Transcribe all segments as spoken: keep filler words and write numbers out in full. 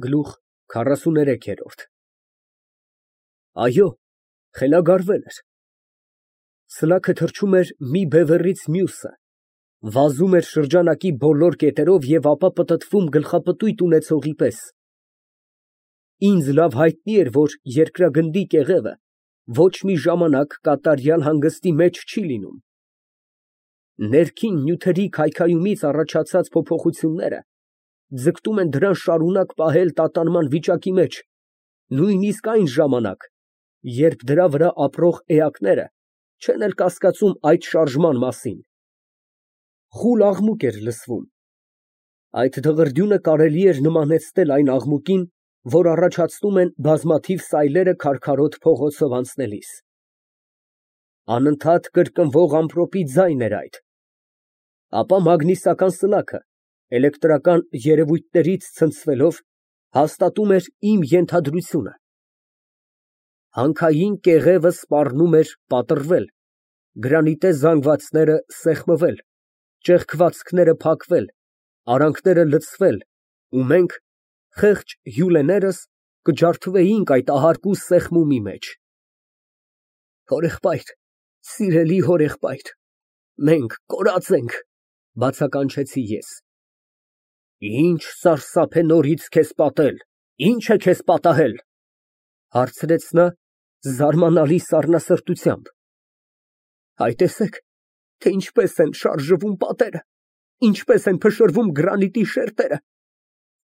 Գլուխ քառասուներեք։ Այո, խելագարվել էր։ Սլաքը թռչում էր մի բևեռից մյուսը, վազում էր շրջանակի բոլոր կետերով և ապա պտտվում գլխապտույտ ունեցողի պես։ Ինձ լավ հայտնի էր, որ երկրագնդի կեղևը ոչ մի ժամանակ կատարյալ հանգստի մեջ չի լինում։ Ներքին նյութերի քայքայումից առաջացած փոփոխությունները ձգտում են դրան շարունակ պահել տատանման վիճակի մեջ, նույնիսկ այն ժամանակ, երբ դրա վրա ապրող էակները չեն էլ կասկածում այդ շարժման մասին։ Խուլ աղմուկ էր լսվում։ Այդ դղրդյունը կարելի էր նմանեցնել այն աղմուկին, որ առաջացնում են բազմաթիվ սայլերը քարքարոտ փողոցով անցնելիս։ Անընդհատ կրկնվող ամպրոպի ձայն էր այդ։ Ապա մագնիսական սլաքը էլեկտրական երևույթներից ցնցվելով հաստատում էր իմ ենթադրությունը։ Հանքային կեղևը սպառնում էր պատռվել, գրանիտե զանգվածները սեղմվել, ճեղքվածքները փակվել, արանքները լցվել, ու մենք, խեղճ հյուրերս, կջարդվեինք այդ ահարկու սեղմումի մեջ։ Հորեղբայր, սիրելի հորեղբայր, մենք կորած ենք, բացականչեցի ես։ Ինչ սարսափ է նորից քեզ պատել, ինչ է քեզ պատահել, հարցրեց նա զարմանալի սառնասրտությամբ։ Հայ, տեսեք, թե ինչպես են շարժվում պատերը, ինչպես են փշրվում գրանիտի շերտերը,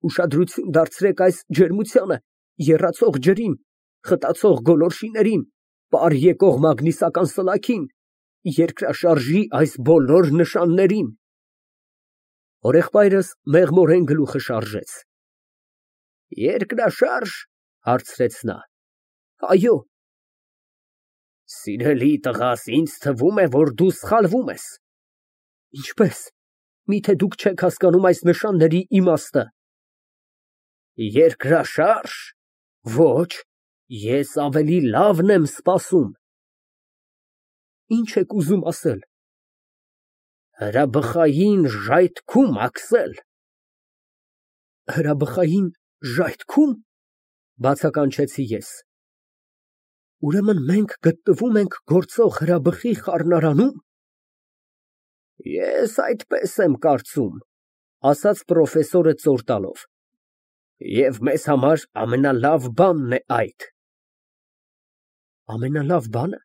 ուշադրություն դարձրեք այս ջերմությանը, եռացող ջրին, խտացող գոլորշիներին, պար եկող մագնիսական սլաքին, երկրաշարժի այս բոլոր նշաններին։ Հորեղբայրս մեղմորեն գլուխը շարժեց։ Երկրաշա՞րժ, հարցրեց նա։ Այո։ Սիրելի տղաս, ինձ թվում է, որ դու սխալվում ես։ Ինչպես, միթե դուք չեք հասկանում այս նշանների իմաստը։ Երկրաշա՞rժ, ոչ, ես ավելի լավն եմ սպասում։ Ինչ եք ուզում ասել։ Հրաբխային ժայթքում, Աքսել։ Հրաբխային ժայթքո՞ւմ, բացականչեցի ես։ Ուրեմն մենք գտնվում ենք գործող հրաբխի խառնարանում։ Ես այդպես եմ կարծում, ասաց պրոֆեսորը ծոր տալով, և մեզ համար ամենալավ բանն է այդ։ Ամենալավ բանը։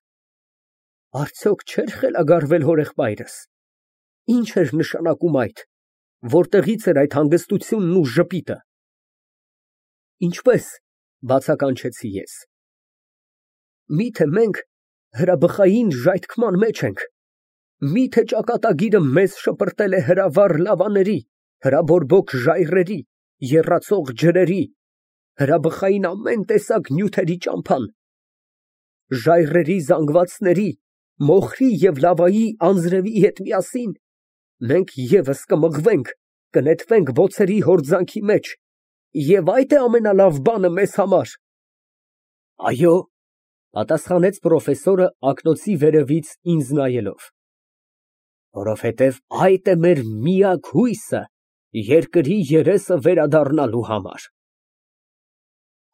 Արդյոք չէր խելագարվել հորեղբայրս։ Ինչ էր նշանակում այդ, որտեղից էր այդ հանգստությունն ու ժպիտը։ Ինչպես, բացականչեցի ես։ Միթե մենք հրաբխային ժայթքման մեջ ենք, միթե ճակատագիրը մեզ շպրտել է հրավառ լավաների, հրաբորբոք ժայռերի, եռացող ջրերի, հրաբխային ամեն տեսակ նյութերի ճամփան, ժայռերի զանգվածների, մոխրի և լավայի անձրևի հետ միասին, մենք ևս կմղվենք, կնետվենք բոցերի հորձանքի մեջ, և այդ է ամենալավ բանը մեզ համար։ Այո, պատասխանեց պրոֆեսորը ակնոցի վերևից ինձ նայելով, որովհետև այդ է մեր միակ հույսը երկրի երեսը վերադառնալու համար։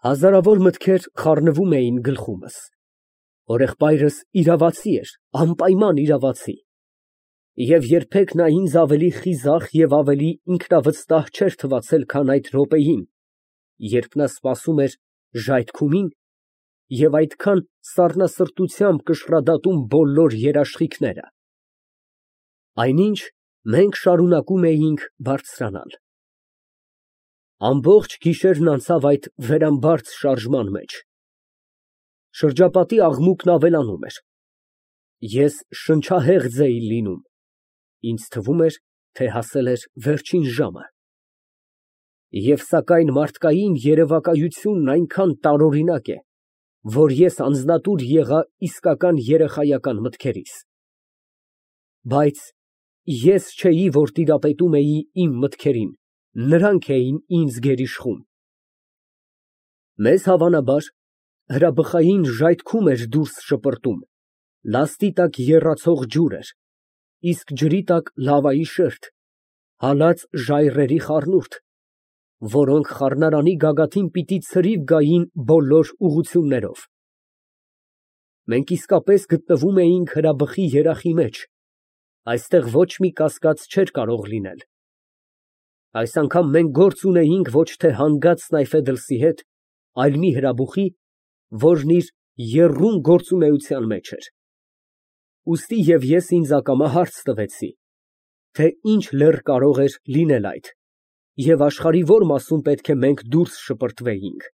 Հազարավոր մտքեր խառնվում էին գլխումս։ Հորեղբայրս իրավացի էր, անպայման իրավացի։ Եվ երբեք նա ինձ ավելի խիզախ և ավելի ինքնավստահ չէր թվացել, քան այդ րոպեին, երբ նա սպասում էր ժայթքումին և այդքան սառնասրտությամբ կշռադատում բոլոր երաշխիքները։ Այնինչ մենք շարունակում էինք բարձրանալ։ Ամբողջ գիշերն անցավ այդ վերամբարձ շարժման մեջ։ Շրջապատի աղմուկն ավելանում էր։ Ես շնչահեղձ էի լինում, ինձ թվում էր, թե հասել էր վերջին ժամը։ Եվ սակայն մարդկային երևակայությունն այնքան տարօրինակ է, որ ես անձնատուր եղա իսկական երեխայական մտքերիս։ Բայց ես չէի, որ տիրապետում էի իմ մտքերին, նրանք էին ինձ գերիշխում։ Մեզ հավանաբար հրաբխային ժայթքում էր դուրս շպրտում, լաստի տակ եռացող ջուր էր, իսկ ջրի տակ լավայի շերտ, հալած ժայռերի խառնուրդ, որոնք խառնարանի գագաթին պիտի ցրիվ գային բոլոր ուղղություններով։ Մենք իսկապես գտնվում էինք հրաբխի երախի մեջ, այստեղ ոչ մի կասկած չէր կարող լինել։ Այս անգամ մենք գործ ունեինք ոչ թե հանգած Սնայֆեդլսի հետ, այլ մի հրաբուխի, որն իր եռում գործունեության մեջ էր։ Ուստի և ես ինձ ակամա հարց տվեցի, թե ինչ լեռ կարող էր լինել այդ, և աշխարհի որ մասում պետք է մենք դուրս շպրտվեինք։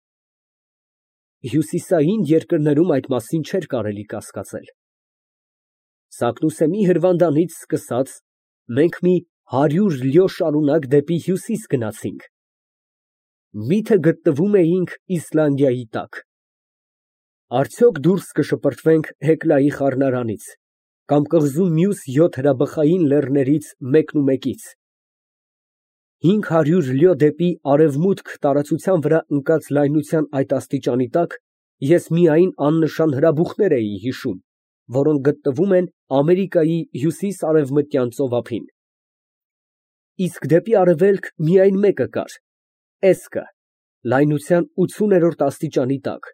Հյուսիսային երկրներում այդ մասին չէր կարելի կասկածել։ Սակնուսեմի հրվանդանից սկսած մենք մի հարյուր լյո շարունակ դեպի հյուսիս գնացինք։ Մի՞թե գտնվում էինք Իսլանդիայի տակ։ Արդյոք դուրս կշպրտվենք Հեկլայի խառնարանից, կամ կղզու մյուս յոթ հրաբխային լեռներից մեկնումեկից։ Հինգ հարյուր լյո դեպի արևմուտք տարածության վրա ընկած լայնության այդ աստիճանի տակ ես միայն աննշան հրաբուխներ էի հիշում, որոնք գտնվում են Ամերիկայի հյուսիս֊արևմտյան ծովափին։ Իսկ դեպի արևելք միայն մեկը կար՝ Էսկը, լայնության ութսուներորդ աստիճանի տակ,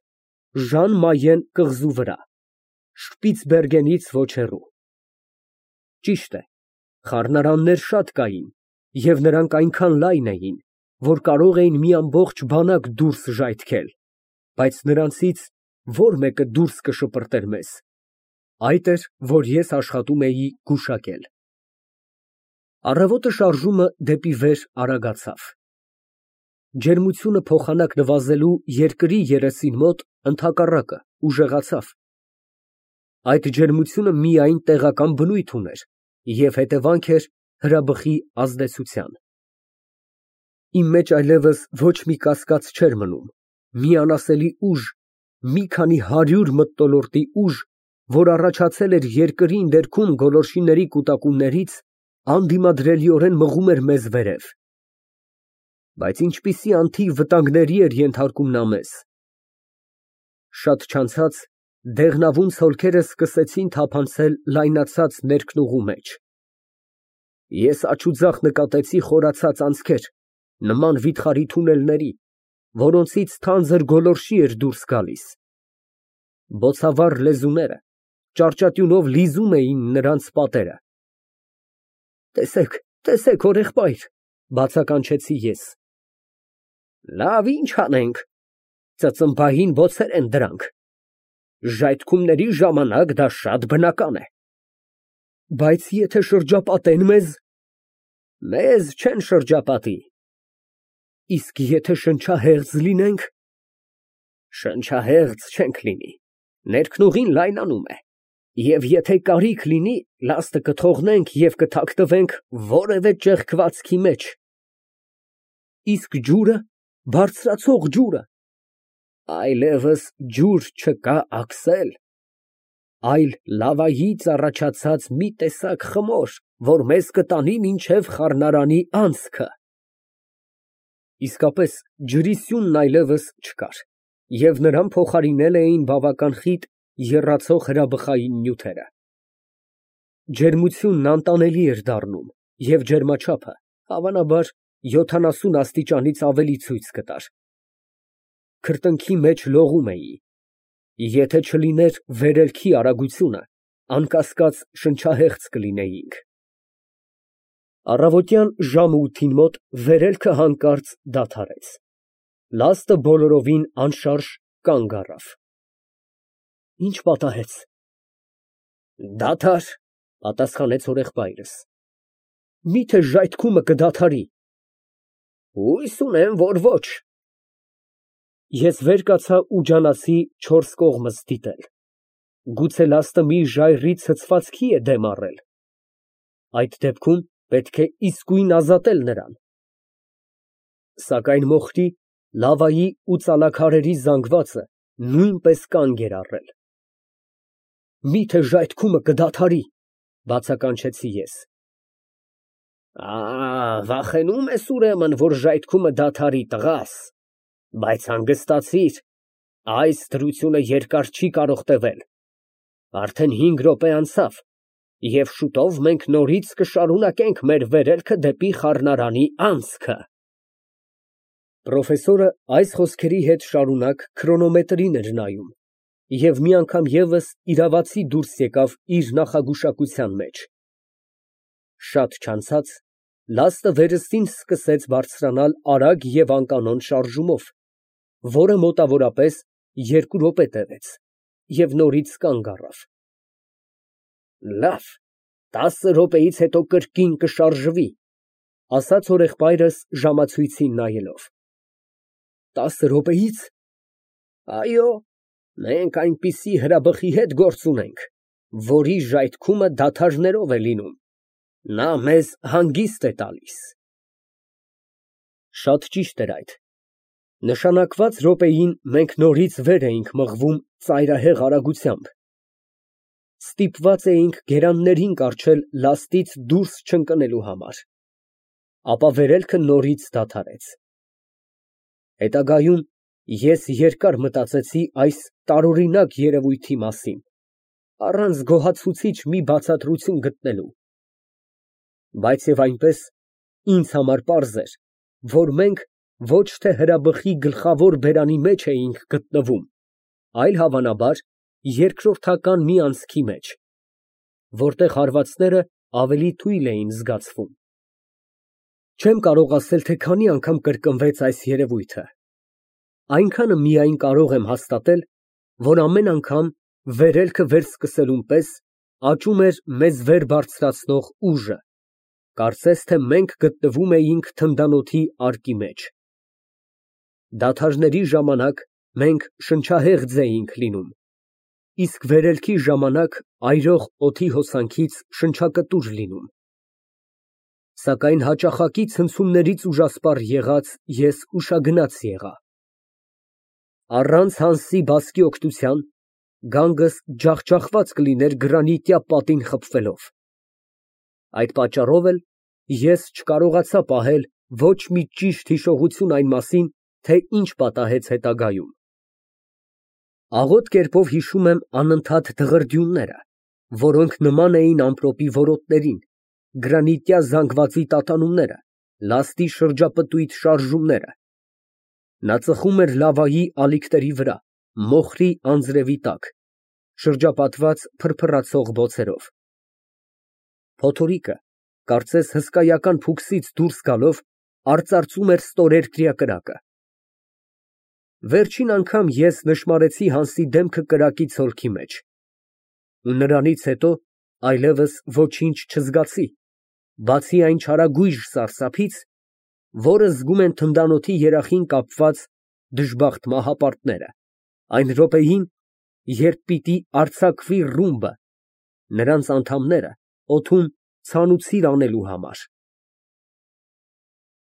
Ժան Մայեն կղզու վրա, Շպիցբերգենից ոչ հեռու։ Ճիշտ է, խառնարաններ շատ կային, և նրանք այնքան լայն էին, որ կարող էին մի ամբողջ բանակ դուրս ժայթքել, բայց նրանցից ո՞ր մեկը դուրս կշպրտեր մեզ։ Այդ էր, որ ես աշխատում էի գուշակել։ Առավոտը շարժումը դեպի վեր արագացավ։ Ջերմությունը փոխանակ նվազելու երկրի երեսին մոտ ընդհակառակը ուժեղացավ։ Այդ ջերմությունը միայն տեղական բնույթ ուներ և հետևանք էր հրաբխի ազդեցության։ Իմ մեջ այլևս ոչ մի կասկած չէր մնում, մի անասելի ուժ, մի քանի հարյուր մթնոլորտի ուժ, որ առաջացել էր երկրի ներքուն գոլորշիների կուտակումներից, անդիմադրելիորեն մղում էր մեզ վերև։ Բայց ինչպիսի անթիվ վտանգների էր ենթարկում նա մեզ։ Շատ չանցած դեղնավուն ցոլքերը սկսեցին թափանցել լայնացած ներքնուղու մեջ։ Ես աջուձախ նկատեցի խորացած անցքեր, նման վիթխարի թունելների, որոնցից թանձր գոլորշի էր դուրս գալիս։ Բոցավառ լեզուները ճարճատյունով լիզում էին նրանց պատերը։ Տեսեք, տեսեք, հորեղբայր, բացականչեցի ես։ Լավ, ինչ անենք, ծծմբային բոցեր են դրանք։ Ժայթքումների ժամանակ դա շատ բնական է։ Բայց եթե շրջապատեն մեզ։ Մեզ չեն շրջապատի։ Իսկ եթե շնչահեղձ լինենք։ Շնչահեղձ չենք լինի, ներքնուղին լայնանում է, և եթե կարիք լինի, լաստը կթողնենք և կթաքնվենք որևէ ճեղքվածքի մեջ։ Իսկ ջուրը, բարձրացող ջուրը։ Այլևս ջուր չկա, Աքսել, այլ լավայից առաջացած մի տեսակ խմոր, որ մեզ կտանի մինչև խառնարանի անցքը։ Իսկապես, ջրի սյունն այլևս չկար, և նրան փոխարինել էին բավական խիտ եռացող հրաբխային նյութերը։ Ջերմությունն անտանելի էր դառնում, և ջերմաչափը, հավանաբար, յոթանասուն աստիճանից ավելի ցույց կտար։ Քրտինքի մեջ լողում էի։ Եթե չլիներ վերելքի արագությունը, անկասկած շնչահեղձ կլինեինք։ Առավոտյան ժամը ութին մոտ վերելքը հանկարծ դադարեց։ Լաստը բոլորովին անշարժ կանգ առավ։ Ինչ պատահեց։ Դադար, պատասխանեց հորեղբայրս։ Մի՞թե ժայթքումը կդադարի։ Հույս ունեմ, որ ոչ։ Ես վեր կացա ու ջանացի չորս կողմս դիտել։ Գուցե լաստը մի ժայռի ցցվածքի է դեմ առել։ Այդ դեպքում պետք է իսկույն ազատել նրան։ Սակայն մոխրի, լավայի ու ծալաքարերի զանգվածը նույնպես կանգ էր առել։ Մի՞թե ժայթքումը կդադարի, բացականչեցի ես։ Ա, վախենում ես ուրեմն, որ ժայթքումը դադարի, տղաս, բայց հանգստացիր, այս դրությունը երկար չի կարող տևել։ Արդեն հինգ րոպե անցավ, և շուտով մենք նորից կշարունակենք մեր վերելքը դեպի խառնարանի անցքը։ Պրոֆեսորը այս խոսքերի հետ շարունակ քրոնոմետրին էր նայում և մի անգամ ևս իրավացի դուրս եկավ իր նախագուշակության մեջ. շատ չանցած լաստը վերստին սկսեց բարձրանալ արագ և անկանոն շարժումով, որը մոտավորապես երկու րոպե տևեց և նորից կանգ առավ։ Լավ, տասը րոպեից հետո կրկին կշարժվի, ասաց հորեղբայրս ժամացույցին նայելով։ Տասը րոպեի՞ց։ Այո, մենք այնպիսի հրաբխի հետ գործ ունենք, որի ժայթքումը դադարներով է լինում, նա մեզ հանգիստ է տալիս։ Շատ ճիշտ էր այդ։ Նշանակված րոպեին մենք նորից վեր էինք մղվում ծայրահեղ արագությամբ, ստիպված էինք գերաններին կառչել լաստից դուրս չընկնելու համար, ապա վերելքը նորից դադարեց։ Հետագայում ես երկար մտածեցի այս տարօրինակ երևույթի մասին, առանց գոհացուցիչ մի բացատրություն գտնելու, բայց և այնպես ինձ համար պարզ էր, որ մենք ոչ թե հրաբխի գլխավոր բերանի մեջ էինք գտնվում, այլ, հավանաբար, երկրորդական մի անցքի մեջ, որտեղ հարվածները ավելի թույլ էին զգացվում։ Չեմ կարող ասել, թե քանի անգամ կրկնվեց այս երևույթը, այնքանը միայն կարող եմ հաստատել, որ ամեն անգամ վերելքը վերսկսելուն պես աճում էր մեզ վեր բարձրացնող ուժը, կարծես թե մենք գտնվում էինք թնդանոթի արկի մեջ։ Դադարների ժամանակ մենք շնչահեղձ էինք լինում, իսկ վերելքի ժամանակ այրող օդի հոսանքից շնչակտուր լինում։ Սակայն հաճախակի ցնցումներից ուժասպառ եղած ես ուշագնաց եղա։ Առանց Հանսի բասկի օգնության գանգս ջախջախված կլիներ գրանիտյա պատին խփվելով։ Այդ պատճառով էլ ես չկարողացա պահել ոչ մի ճիշտ հիշողություն այն մասին, թե ինչ պատահեց հետագայում։ Աղոտ կերպով հիշում եմ անընդհատ դղրդյունները, որոնք նման էին ամպրոպի որոտներին, գրանիտյա զանգվածի տատանումները, լաստի շրջապտույտ շարժումները։ Նա ծխում էր լավայի ալիքների վրա, մոխրի անձրևի տակ, շրջապատված փրփռացող բոցերով։ Փոթորիկը, կարծես հսկայական փուքսից դուրս գալով, արծարծում էր ստորերկրյա կրակը։ Վերջին անգամ ես նշմարեցի Հանսի դեմքը կրակի ցոլքի մեջ, ու նրանից հետո այլևս ոչինչ չզգացի, բացի այն չարագույժ սարսափից, որը զգում են թնդանոթի երախին կապված դժբախտ մահապարտները, այն րոպեին, երբ պիտի արձակվի ռումբը, նրանց անդամները օդում ցանուցիր անելու համար։